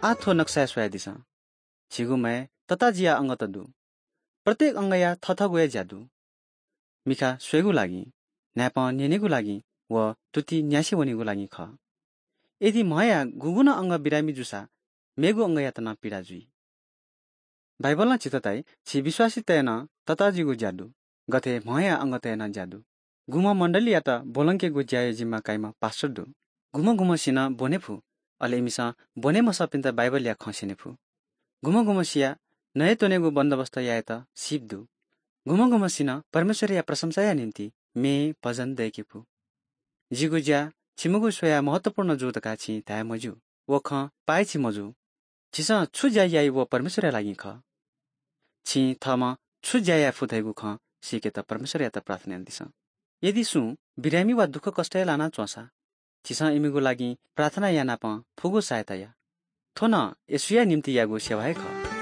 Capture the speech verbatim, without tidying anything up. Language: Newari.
आः थ्व नक्साय् स्वयादिसँ। झीगु म्हय् तताजिया अंगत दु। प्रत्येक अंगया थथःगु हे ज्या दु। मिखा स्वयेगु लागि, न्हाय्पं न्यनेगु लागि व तुति न्यासे वनेगु लागि खः। यदि म्हया गुगुं नं अंग बिरामी जूसा मेगु अंगयात नं पीडा जुइ। बाइबलं झीत धाइ, छि विश्वासीतय् नं तताजिगु ज्या दु, गथे म्हया अंगतय् नं ज्या दु। गुम्ह मण्डलीयात ब्वलंकेगु ज्याया जिम्मा काइम्ह पास्टर दु। गुम्ह गुम्हसिनं ब्वने फु, अले इमिसं ब्वने मसःपिन्त बाइबलया खँ स्यने फु। गुम्ह गुम्हसिया नये त्वनेगु बन्दोबस्त यायेत सीप दु। गुम्ह गुम्हसिनं परमेश्वरया प्रशंसाया निंतिं म्ये भजन दय्के फु। जिगु ज्या छिमिगु स्वयाः महत्त्वपूर्ण जू धकाः छिं धाये मज्यू। व खँ पाय्छि मजू। झीसं छु ज्या याइ व परमेश्वरया लागि खः। छिं थःम्हं छु ज्या याये फु धइगु खँ सीकेत परमेश्वरयात प्रार्थना यानादिसँ। यदि सुं बिरामी वा दुःखकष्टय् लाना च्वंसा, झीसं इमिगु लागि प्रार्थना यानापं फुगु सहायता या। थ्व नं येशूया निंतिं याःगु सेवा हे खः।